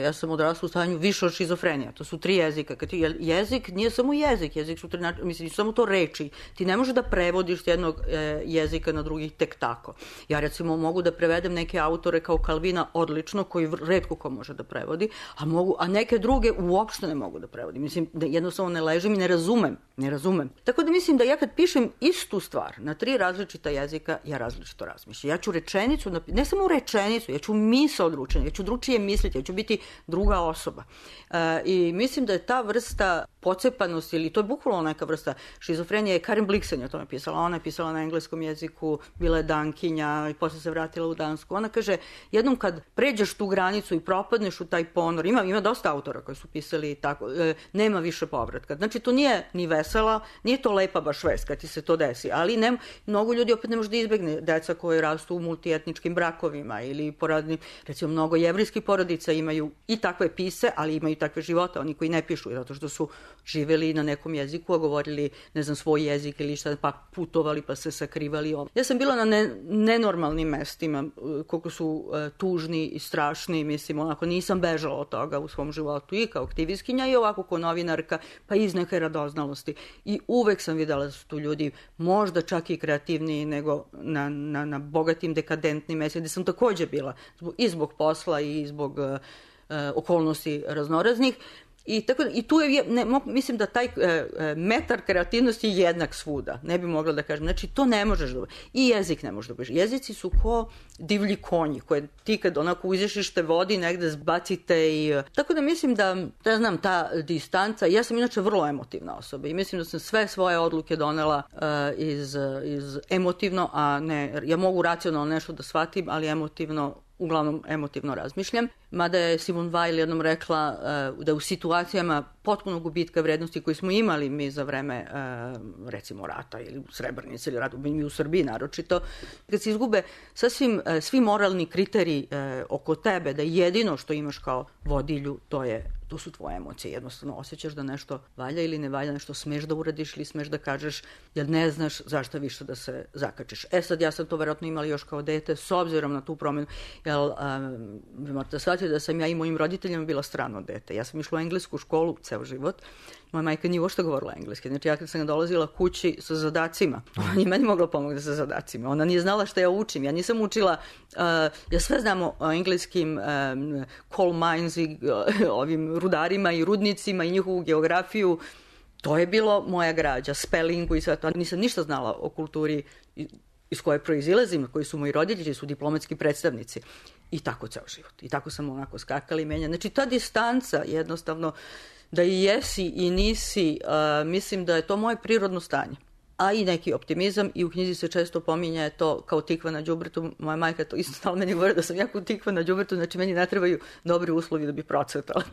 ja sam odrasla u stanju više od šizofrenija. To su 3 jezika. Jezik nije samo jezik su mislim, samo to reči. Ti ne možeš da prevodiš s jednog jezika na drugi tek tako. Ja recimo mogu da prevedem neke autore kao Kalvina odlično, koji retko ko može da prevodi, a neke druge uopšte ne mogu da prevodim. Mislim, da jednostavno ne ležim i ne razumem. Tako da mislim da ja kad pišem istu stvar na 3 različita jezika, ja različito razmišljam. Ja ću rečenicu, ne samo rečenicu, ja ću misao odručiti, ja ću drugačije misliti, ja ću biti druga osoba. I mislim da je ta vrsta pocepanosti, ili to je bukvalno neka vrsta šizofrenije, Karen Blixen je o tome pisala. Ona je pisala na engleskom jeziku, bila je Dankinja i posle se vratila u Dansku. Ona kaže, jednom kad pređeš tu granicu i propadneš u taj ponor, ima dosta autora koji su pisali tako, nema više povratka. Znači, to nije ni vesela, nije to lepa baš vest kad ti se to desi, ali mnogo ljudi opet ne može da izbegne, deca koje rastu u multietničkim brakovima ili porodnim, recimo mnogo jevrijskih porodica imaju i takve pise, ali imaju takve živote, oni koji ne pišu, zato što su živeli na nekom jeziku, a govorili, ne znam, svoj jezik ili šta, pa putovali, pa se sakrivali. Ja sam bila na nenormalnim mestima, koliko su tužni i strašni, mislim, onako nisam bežala od toga u svom životu i kao aktivistkinja i ovako kao novinarka, pa iz neke radoznalosti. I uvek sam videla da su tu ljudi možda čak i kreativniji nego na bogatim, dekadentnim mestima, gde sam takođe bila i zbog posla i zbog okolnosti raznoraznih. I tu je, mislim da taj metar kreativnosti je jednak svuda. Ne bi mogla da kažem. Znači, to ne možeš da... I jezik ne možeš da budeš. Jezici su ko divlji konji, koje ti kad onako uzešiš te vodi, negde zbacite i... Tako da mislim da, ne znam, ta distanca... Ja sam inače vrlo emotivna osoba i mislim da sam sve svoje odluke donela iz emotivno, a ne... Ja mogu racionalno nešto da shvatim, ali uglavnom emotivno razmišljam. Mada je Simone Weil jednom rekla da u situacijama potpunog gubitka vrednosti koji smo imali mi za vreme recimo rata ili Srebrenice ili rata, mi u Srbiji naročito, kad se izgube svi moralni kriteriji oko tebe, da jedino što imaš kao vodilju to su tvoje emocije. Jednostavno osjećaš da nešto valja ili ne valja, nešto smeš da uradiš ili smeš da kažeš, jer ne znaš zašto više da se zakačiš. Sad ja sam to verovatno imala još kao dete, s obzirom na tu promenu, jer vi morate shvatiti da sam ja i mojim roditeljima bila strano dete. Ja sam išla u englesku školu ceo život. Moja majka nije uopšte govorila engleski. Znači, ja kad sam dolazila kući sa zadacima, ona nije meni mogla pomoći sa zadacima. Ona nije znala šta ja učim. Ja nisam učila, ja sve znam o engleskim coal mines i ovim rudarima i rudnicima i njihovu geografiju. To je bilo moja građa, spellingu i sve to. Nisam ništa znala o kulturi iz koje proizilazim, koji su moji roditelji, su diplomatski predstavnici. I tako ceo život. I tako sam onako skakala i menjala. Znači, ta distanca jednostavno, da i jesi i nisi, mislim da je to moje prirodno stanje. A i neki optimizam, i u knjizi se često pominje to kao tikva na đubretu. Moja majka to isto stala meni govori da sam jako tikva na đubretu, znači meni ne trebaju dobri uslovi da bi procvetala.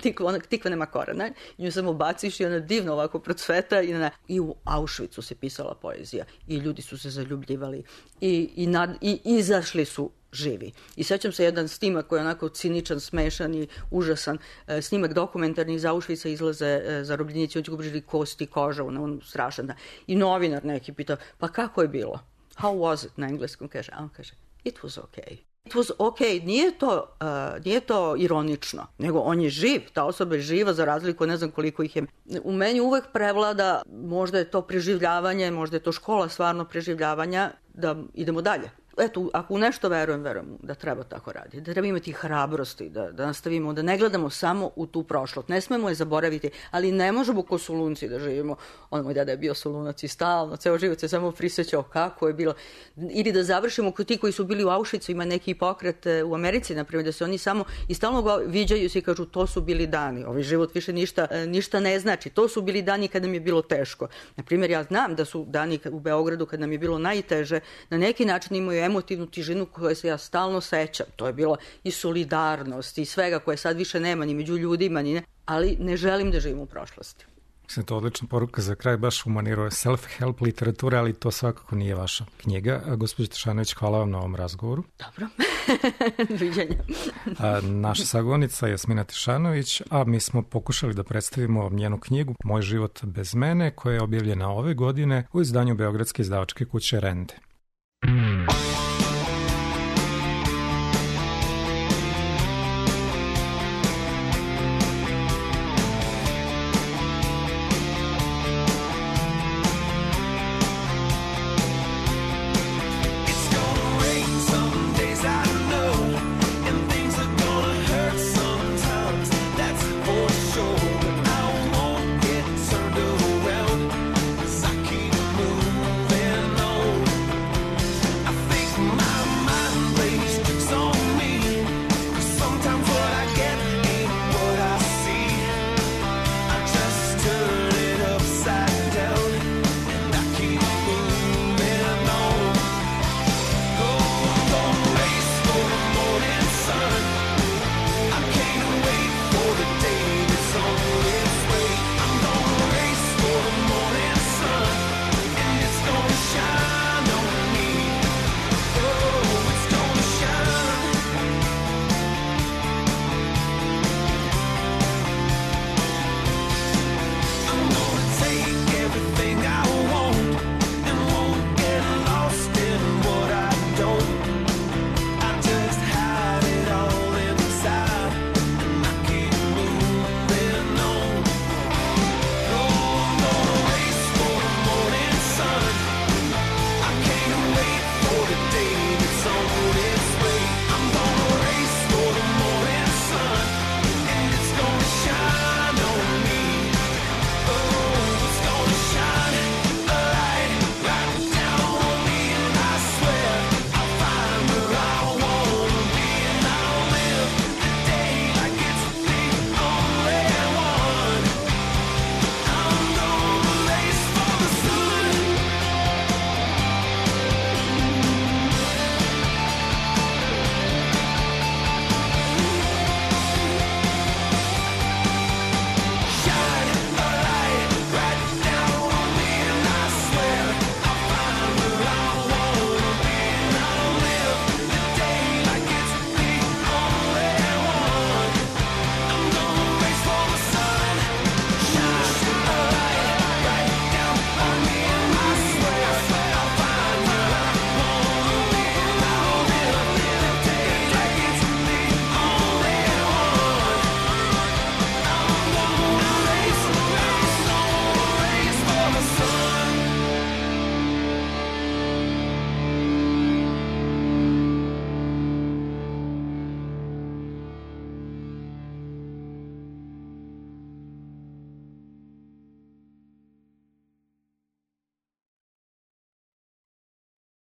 Tikva nema korena, nju samo baciš i ona divno ovako procveta. I u Auschwitzu se pisala poezija i ljudi su se zaljubljivali i izašli su živi. I sećam se jedan snimak koji je onako ciničan, smešan i užasan. Snimak dokumentarni iz Auschwitza, izlaze zarobljenici, oni će gubrili kosti, koža, on strašan. Da. I novinar neki pita, pa kako je bilo? How was it? Na engleskom kaže. A on kaže, it was okay. It was okay. Nije to ironično, nego on je živ. Ta osoba je živa za razliku, ne znam koliko ih je. U meni uvek prevlada, možda je to preživljavanje, možda je to škola stvarno preživljavanja, da idemo dalje. Eto, ako u nešto verujem da treba tako raditi, da treba imati hrabrosti, da nastavimo, da ne gledamo samo u tu prošlost. Ne smemo je zaboraviti, ali ne možemo ko Solunci da živimo. Moj deda je bio Solunac i stalno, ceo život se samo prisjećao kako je bilo. Ili da završimo kod ti koji su bili u Auschwitzu, ima neki pokret u Americi, naprimjer, da se oni samo i stalno viđaju se i kažu to su bili dani, ovaj život više ništa ne znači, to su bili dani kad nam je bilo teško. Naprimjer, ja znam da su dani u Beogradu kad nam je bilo najteže, na neki način imaju emotivnu tižinu koje se ja stalno sećam. To je bilo i solidarnost i svega koje sad više nema ni među ljudima, ali ne želim da živim u prošlosti. Mislim, to je odlična poruka za kraj, baš u maniru self-help literature, ali to svakako nije vaša knjiga. Gospođo Tešanović, hvala vam na ovom razgovoru. Dobro, viđenja. Naša sagovornica je Jasmina Tešanović, a mi smo pokušali da predstavimo njenu knjigu Moj život bez mene, koja je objavljena ove godine u izdanju Beogradske izdavačke kuće Rende.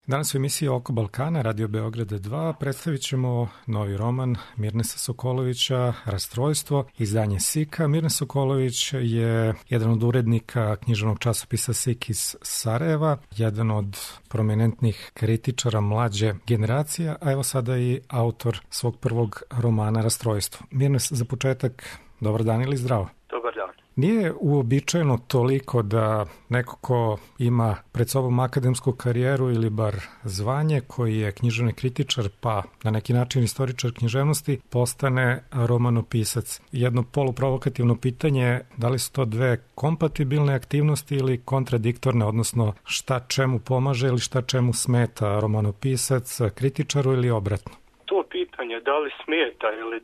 Danas u emisiji Oko Balkana, Radio Beograda 2, predstavit ćemo novi roman Mirnesa Sokolovića, Rastrojstvo, izdanje SIK-a. Mirnes Sokolović je jedan od urednika književnog časopisa SIK iz Sarajeva, jedan od prominentnih kritičara mlađe generacije, a evo sada i autor svog prvog romana Rastrojstvo. Mirnes, za početak, dobar dan ili zdravo? Dobar dan. Nije uobičajeno toliko da neko ko ima pred sobom akademsku karijeru ili bar zvanje, koji je književni kritičar, pa na neki način istoričar književnosti, postane romanopisac. Jedno poluprovokativno pitanje, da li su to dve kompatibilne aktivnosti ili kontradiktorne, odnosno šta čemu pomaže ili šta čemu smeta romanopisac kritičaru ili obratno? To pitanje, da li smeta ili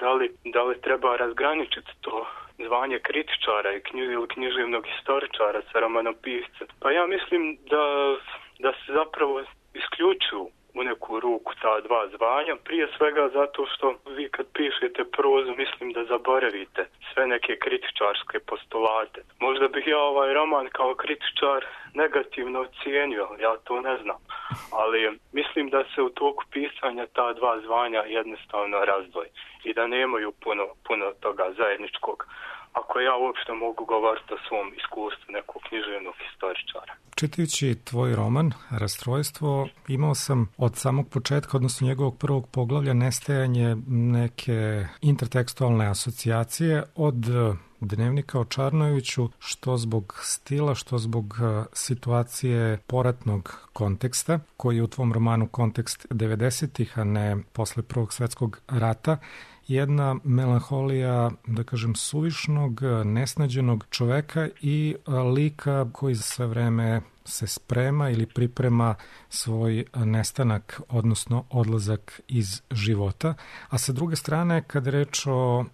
da li treba razgraničiti to zvanje kritičara ili književnog historičara sa romanopiscem. Pa ja mislim da se zapravo isključuju u neku ruku ta dva zvanja, prije svega zato što vi kad pišete prozu mislim da zaboravite sve neke kritičarske postulate. Možda bih ja ovaj roman kao kritičar negativno ocijenio, ja to ne znam, ali mislim da se u toku pisanja ta dva zvanja jednostavno razdvoji i da nemaju puno toga zajedničkog, ako ja uopšte mogu govoriti o svom iskustvu nekog književnog historičara. Čitajući tvoj roman, Rastrojstvo, imao sam od samog početka, odnosno njegovog prvog poglavlja, nestajanje neke intertekstualne asocijacije od Dnevnika o Čarnojeviću, što zbog stila, što zbog situacije poratnog konteksta, koji je u tvom romanu kontekst 90-ih, a ne posle Prvog svetskog rata, jedna melanholija, da kažem, suvišnog, nesnađenog čoveka i lika koji za sve vreme se sprema ili priprema svoj nestanak, odnosno odlazak iz života. A sa druge strane, kad je reč o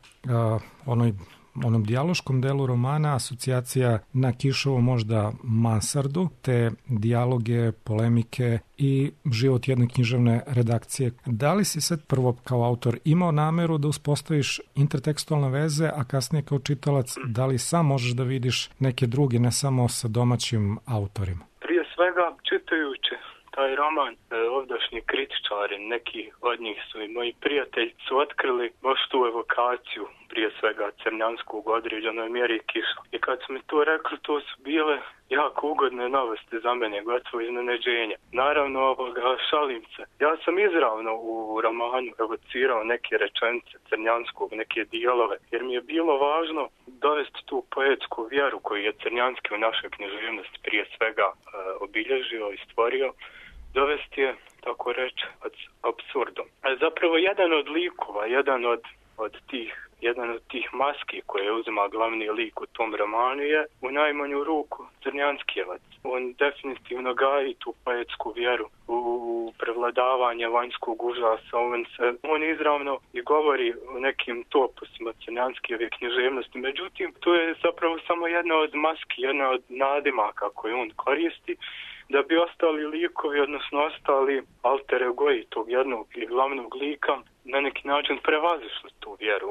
onom dijaloškom delu romana, asocijacija na Kišovu možda mansardu, te dijaloge, polemike i život jedne književne redakcije. Da li si sad prvo kao autor imao nameru da uspostaviš intertekstualne veze, a kasnije kao čitalac, da li sam možeš da vidiš neke druge, ne samo sa domaćim autorima? Prije svega, čitajući taj roman, ovdašnji kritičari, neki od njih su i moji prijatelji, su otkrili baš tu evokaciju, prije svega crnjanskog u određenoj mjeri Kiša. I kad su mi to rekli, to su bile jako ugodne novosti za mene, gotovo iznenađenje. Naravno, šalim se. Ja sam izravno u romanu evocirao neke rečenice crnjanskog, neke dijelove, jer mi je bilo važno dovesti tu poetsku vjeru koju je Crnjanski u našoj književnosti prije svega obilježio i stvorio, dovesti je, tako reći, apsurdom. Zapravo jedan od likova, jedan od tih maski koje uzima glavni lik u tom romanu je u najmanju ruku Crnjanskijevac. On definitivno gaji tu poetsku vjeru u prevladavanje vanjskog užasa. On izravno i govori o nekim topusima Crnjanskijeve književnosti. Međutim, to je zapravo samo jedna od maski, jedna od nadimaka koje on koristi da bi ostali likovi, odnosno ostali alter egoji tog jednog i glavnog lika na neki način prevazišli tu vjeru.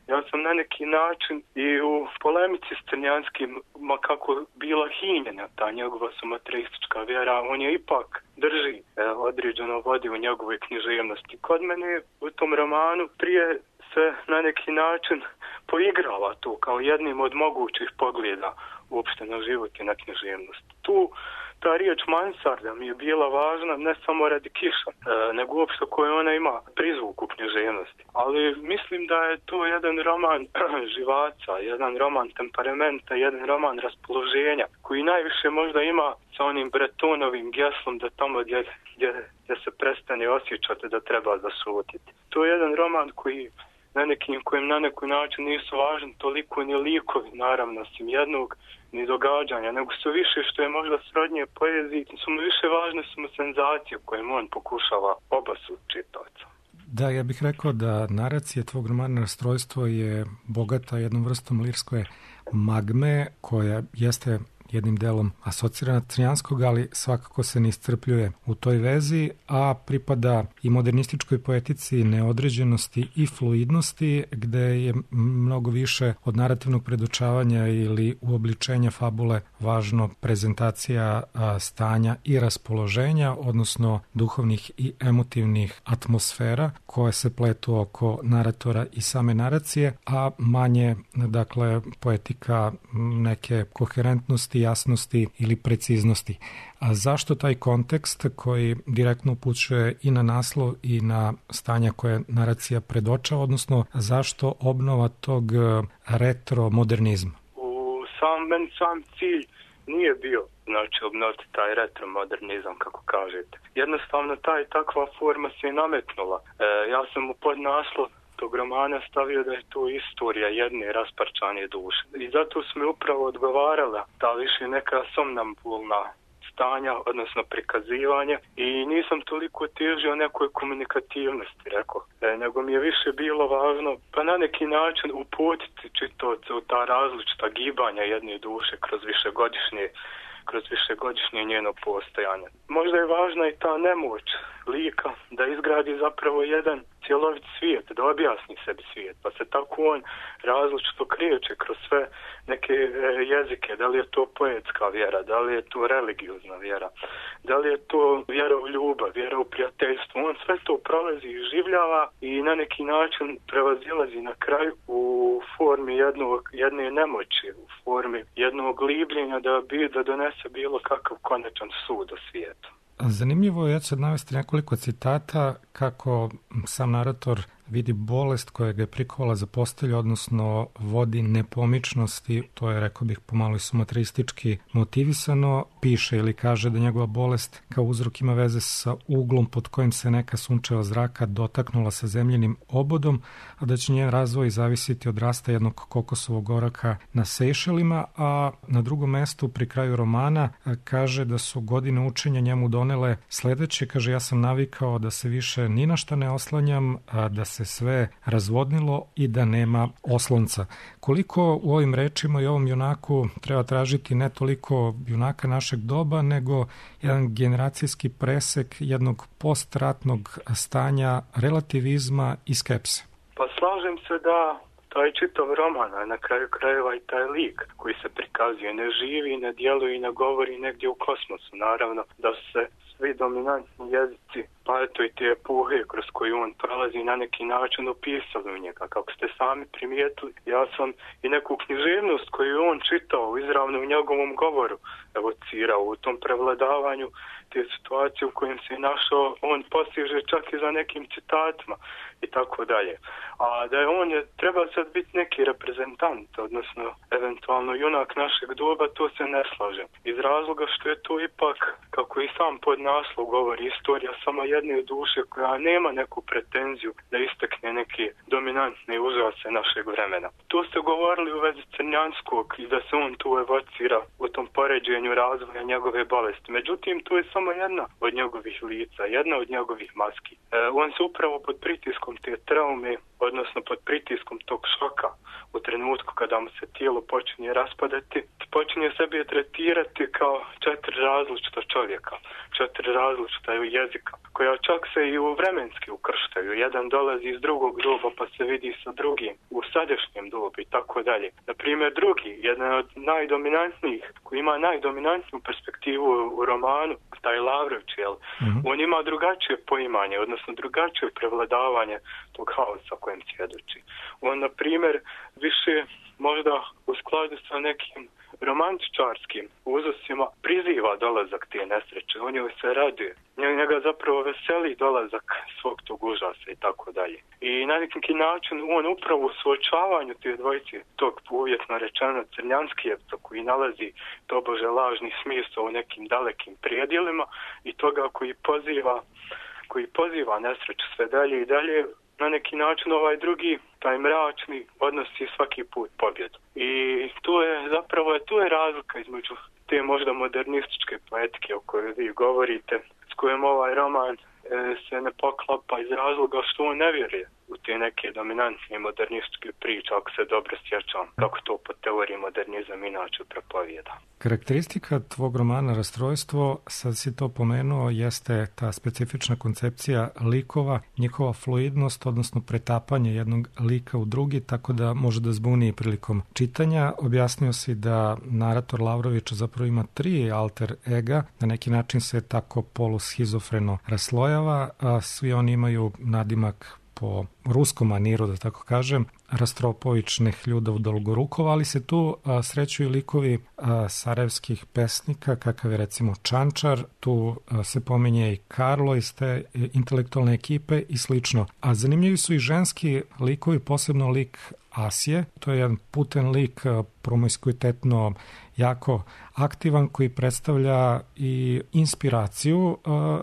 Ja sam na neki način i u polemici s Crnjanskim, ma kako bila hinjena ta njegova sumatreistička vjera, on je ipak drži određeno vodi u njegove književnosti. Kod mene u tom romanu prije se na neki način poigrava tu kao jednim od mogućih pogleda uopšte na život i na književnost. Tu ta riječ mansarda mi je bila važna ne samo radi Kiša, nego uopšte koju ona ima prizvuk u književnosti. Ali mislim da je to jedan roman živaca, jedan roman temperamenta, jedan roman raspoloženja, koji najviše možda ima sa onim Bretonovim geslom da tamo gdje se prestane osjećati da treba zašutiti. To je jedan roman kojim na neki način nisu važni toliko ni likovi, naravno, osim jednog, ni događanja, nego su više, što je možda srodnije poeziji, su mu više važne senzacije kojim on pokušava obasuti čitavca. Da, ja bih rekao da naracija tvog romana Rastrojstvo je bogata jednom vrstom lirske magme koja jeste jednim delom asocira na Crnjanskog, ali svakako se ne iscrpljuje u toj vezi, a pripada i modernističkoj poetici neodređenosti i fluidnosti, gde je mnogo više od narativnog predočavanja ili uobličenja fabule važno prezentacija stanja i raspoloženja, odnosno duhovnih i emotivnih atmosfera koje se pletu oko naratora i same naracije, a manje, dakle, poetika neke koherentnosti, jasnosti ili preciznosti. A zašto taj kontekst koji direktno upućuje i na naslov i na stanja koje naracija predočava, odnosno zašto obnova tog retromodernizma? Sam cilj nije bio, znači, obnoviti taj retromodernizam, kako kažete. Jednostavno, takva forma se nametnula. Ja sam u podnaslov tog romana stavio da je to istorija jedne rasparčane duše. I zato su mi upravo odgovarala ta više neka somnambulna stanja, odnosno prikazivanja, i nisam toliko težio nekoj komunikativnosti, rekao, nego mi je više bilo važno pa na neki način uputiti čitaoca u ta različita gibanja jedne duše kroz višegodišnje njeno postojanje. Možda je važna i ta nemoć lika da izgradi zapravo jedan cjelovit svijet, da objasni sebi svijet, pa se tako on različito kreće kroz sve neke jezike, da li je to poetska vjera, da li je to religiozna vjera, da li je to vjera u ljubav, vjera u prijateljstvo, on sve to prolazi i življava i na neki način prevazilazi na kraju u formi jedne nemoći, u formi jednog libljenja da donese bilo kakav konačan sud o svijetu. Zanimljivo je, ja ću navesti nekoliko citata kako sam narator vidi bolest koja ga je prikovala za postelju, odnosno vodi nepomičnosti, to je, rekao bih, pomalo i sumatristički motivisano, piše ili kaže da njegova bolest kao uzrok ima veze sa uglom pod kojim se neka sunčeva zraka dotaknula sa zemljenim obodom, a da će njen razvoj zavisiti od rasta jednog kokosovog oraka na Sejšelima, a na drugom mestu pri kraju romana kaže da su godine učenja njemu donele sledeće, kaže, ja sam navikao da se više ni na šta ne oslanjam, da se sve razvodnilo i da nema oslonca. Koliko u ovim rečima i ovom junaku treba tražiti ne toliko junaka našeg doba, nego jedan generacijski presek jednog postratnog stanja relativizma i skepse? Pa slažem se da taj čitav roman, a na kraju krajeva i taj lik koji se prikazuje, ne živi, ne djeluje i ne govori negdje u kosmosu. Naravno da se svi dominantni jezici, pa eto i te epohe kroz koju on prolazi, na neki način opisali u njega. Kako ste sami primijetili, ja sam i neku književnost koju on čitao izravno u njegovom govoru evocirao u tom prevladavanju te situacije u kojem se našao, on postiže čak i za nekim citatima i tako dalje. A da je on treba sad biti neki reprezentant, odnosno eventualno junak našeg doba, to se ne slažem. Iz razloga što je to ipak, kako i sam podnaslov govori, istorija samo jedne duše koja nema neku pretenziju da istakne neke dominantne užase našeg vremena. To ste govorili u vezi Crnjanskog i da se on tu evocira u tom poređenju razvoja njegove bolesti. Međutim, to je samo jedna od njegovih lica, jedna od njegovih maski. On se upravo pod pritiskom te traume, odnosno pod pritiskom tog šoka u trenutku kada mu se tijelo počinje raspadati, počinje sebe tretirati kao 4 različita čovjeka, 4 različita jezika, koja čak se i u vremenski ukrštaju. Jedan dolazi iz drugog doba pa se vidi sa drugim u sadašnjem dobu i tako dalje. Naprimjer, drugi, jedan od najdominantnijih, koji ima najdominantniju perspektivu u romanu, taj Lavrović, on ima drugačije poimanje, odnosno drugačije prevladavanje tog haosa kojem svjedoči. On, na primjer, više možda u skladu sa nekim romantičarskim uzusima priziva dolazak te nesreće, on joj se raduje. Njega zapravo veseli dolazak svog tog užasa i tako dalje. I na neki način on upravo u suočavanju te dvojice, tog uvjetno rečeno Crnjanskijevca koji nalazi tobože lažni smisao u nekim dalekim prijedjelima i toga koji poziva nesreću sve dalje i dalje, na neki način ovaj drugi, taj mračni, odnosi svaki put pobjedu. I tu je razlika između te možda modernističke poetike o kojoj vi govorite, s kojom ovaj roman se ne poklapa iz razloga što on ne vjeruje u te neke dominantne modernističke priče, ako se dobro sjećam, kako to po teoriji modernizam inače propovijeda. Karakteristika tvog romana Rastrojstvo, sad si to pomenuo, jeste ta specifična koncepcija likova, njihova fluidnost, odnosno pretapanje jednog lika u drugi, tako da može da zbuni prilikom čitanja. Objasnio si da narator Lavrović zapravo ima 3 alter ega, na neki način se tako polushizofreno raslojava, a svi oni imaju nadimak po ruskom maniru, da tako kažem, Rastropović, Nehljuda, Dolgorukova, ali se tu srećuju likovi sarajevskih pesnika, kakav je recimo Čančar, tu se pominje i Karlo iz te intelektualne ekipe i slično. A zanimljivi su i ženski likovi, posebno lik Asije, to je jedan puten lik, promiskuitetno jako aktivan, koji predstavlja i inspiraciju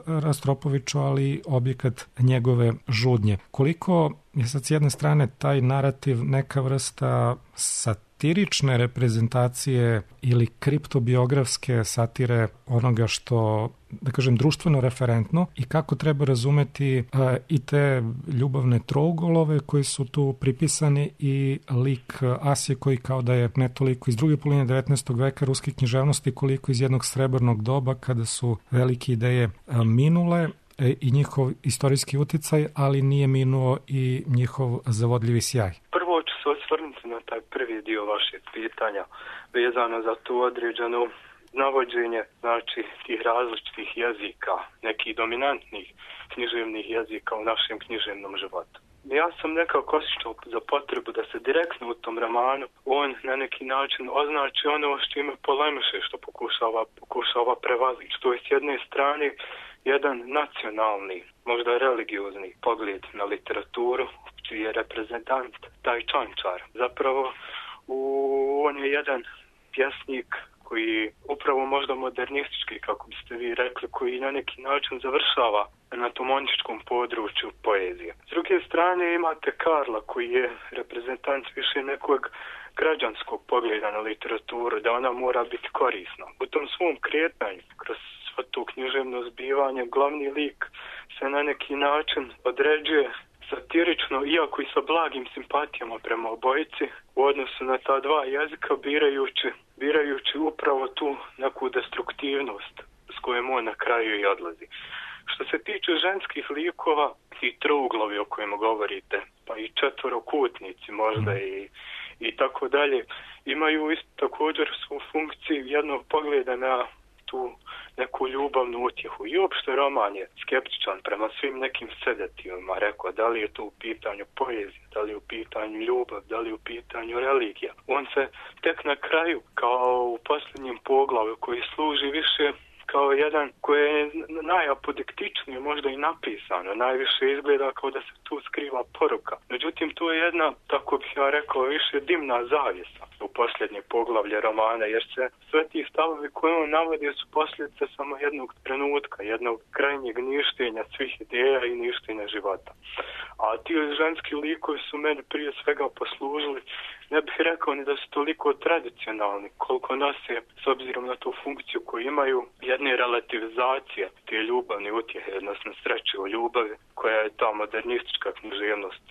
Rastropoviću, ali objekat njegove žudnje. Koliko je sad s jedne strane taj narativ neka vrsta satirične reprezentacije ili kriptobiografske satire onoga što, da kažem, društveno referentno, i kako treba razumeti i te ljubavne trougolove koji su tu pripisani i lik Asije koji kao da je ne toliko iz druge polovine 19. veka ruske književnosti koliko iz jednog srebrnog doba kada su velike ideje minule i njihov istorijski uticaj, ali nije minuo i njihov zavodljivi sjaj. Prvo ću se osvrnuti na taj prvi dio vašeg pitanja vezano za to određeno navođenje, znači tih različitih jezika, nekih dominantnih književnih jezika u našem književnom životu. Ja sam nekako osjećao za potrebu da se direktno u tom romanu on na neki način označi ono što ima polemiše, što pokušava prevazići. To je s jedne strane jedan nacionalni, možda religiozni pogled na literaturu, čiji je reprezentant taj Čančar. Zapravo on je jedan pjesnik koji upravo možda modernistički, kako biste vi rekli, koji na neki način završava na tom ontičkom području poezije. S druge strane imate Karla koji je reprezentant više nekog građanskog pogleda na literaturu, da ona mora biti korisna. U tom svom kretanju, kroz svo to književno zbivanje, glavni lik se na neki način određuje satirično, iako i sa blagim simpatijama prema obojici, u odnosu na ta dva jezika, birajući upravo tu neku destruktivnost s kojom on na kraju i odlazi. Što se tiče ženskih likova i trouglovi o kojima govorite, pa i četvorokutnici možda i tako dalje, imaju isto također svu funkciju jednog pogleda na tu neku ljubavnu utjehu. I uopšte roman je skeptičan prema svim nekim sedativima, rekao, da li je to u pitanju poezije, da li je u pitanju ljubav, da li je u pitanju religija. On se tek na kraju, kao u posljednjem poglavlju, koji služi više kao jedan koji je najapodiktičnije možda i napisano, najviše izgleda kao da se tu skriva poruka. Međutim, to je jedna, tako bih ja rekao, više dimna zavjesa u posljednje poglavlje romana, jer se sve ti stavovi koje on navodi su posljedice samo jednog trenutka, jednog krajnjeg ništenja svih ideja i ništenja života. A ti ženski likovi su meni prije svega poslužili, ne bih rekao ni da su toliko tradicionalni, koliko nose, s obzirom na tu funkciju koju imaju, jedne relativizacije te ljubavne utjehe, odnosno sreće u ljubavi, koja je ta modernistička književnost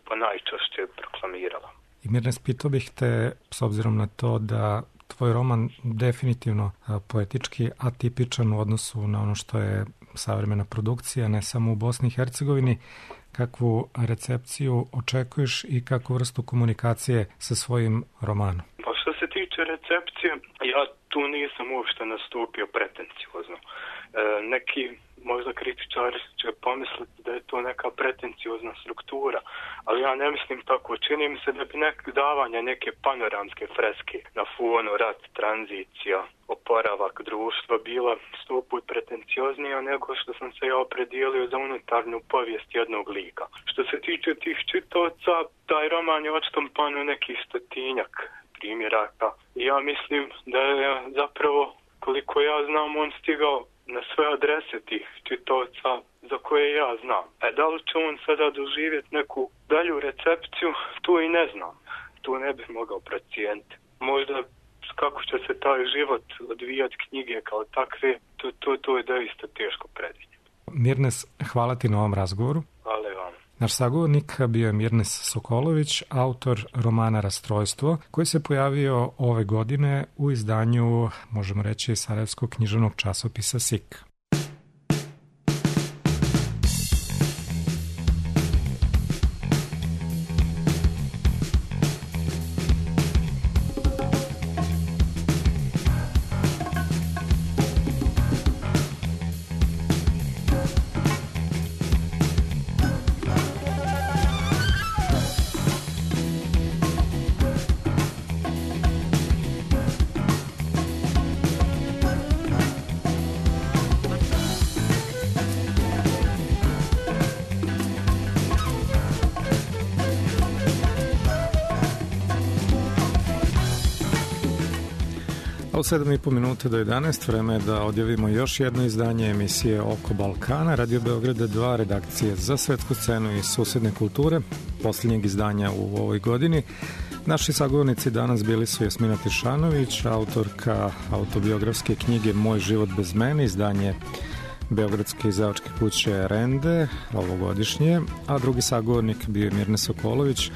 pa najčešće proklamirala. I Mirnes, pitao bih te, s obzirom na to da tvoj roman definitivno poetički atipičan u odnosu na ono što je savremena produkcija, ne samo u Bosni i Hercegovini, kakvu recepciju očekuješ i kakvu vrstu komunikacije sa svojim romanom? Pa što se tiče recepcije, ja tu nisam uopšte nastupio pretenciozno. Neki možda kritičari će pomisliti da je to neka pretenciozna struktura, ali ja ne mislim tako. Čini mi se da bi davanje neke panoramske freske na fonu rat, tranzicija, oporavak društva bila 100 put pretencioznija nego što sam se ja opredijelio za unutarnju povijest jednog lika. Što se tiče tih čitaoca, taj roman je odštampan u nekih 100-tinjak primjeraka. Ja mislim da je zapravo, koliko ja znam, on stigao na sve adrese tih čitaoca za koje ja znam. Da li će on sada doživjeti neku dalju recepciju, tu i ne znam. Tu ne bih mogao procijeniti. Možda kako će se taj život odvijati knjige kao takve, to je doista teško predvidjeti. Mirnes, hvala ti na ovom razgovoru. Hvala vam. Naš sagovornik bio je Mirnes Sokolović, autor romana Rastrojstvo, koji se pojavio ove godine u izdanju, možemo reći, sarajevskog književnog časopisa SIK. A u 7,5 minuta do 11 vreme je da odjavimo još jedno izdanje emisije Oko Balkana, Radio Beograda 2, redakcije za svetsku scenu i susedne kulture, posljednjeg izdanja u ovoj godini. Naši sagovornici danas bili su Jasmina Tišanović, autorka autobiografske knjige Moj život bez mene, izdanje Beogradske izdavačke kuće Rende, ovogodišnje, a drugi sagovornik bio je Mirnes Sokolović,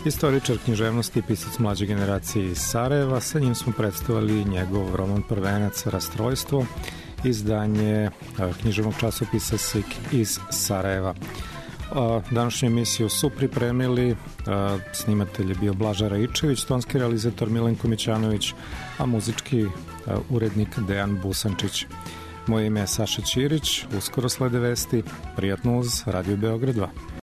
istoričar književnosti i pisac mlađe generacije iz Sarajeva. Sa njim smo predstavili njegov roman Prvenac Rastrojstvo, izdanje književnog časopisa SIK iz Sarajeva. Današnju emisiju su pripremili, snimatelj je bio Blaža Raičević, tonski realizator Milenko Mićanović, a muzički urednik Dejan Busančić. Moje ime je Saša Ćirić, uskoro slede vesti, prijatno uz Radio Beograd 2.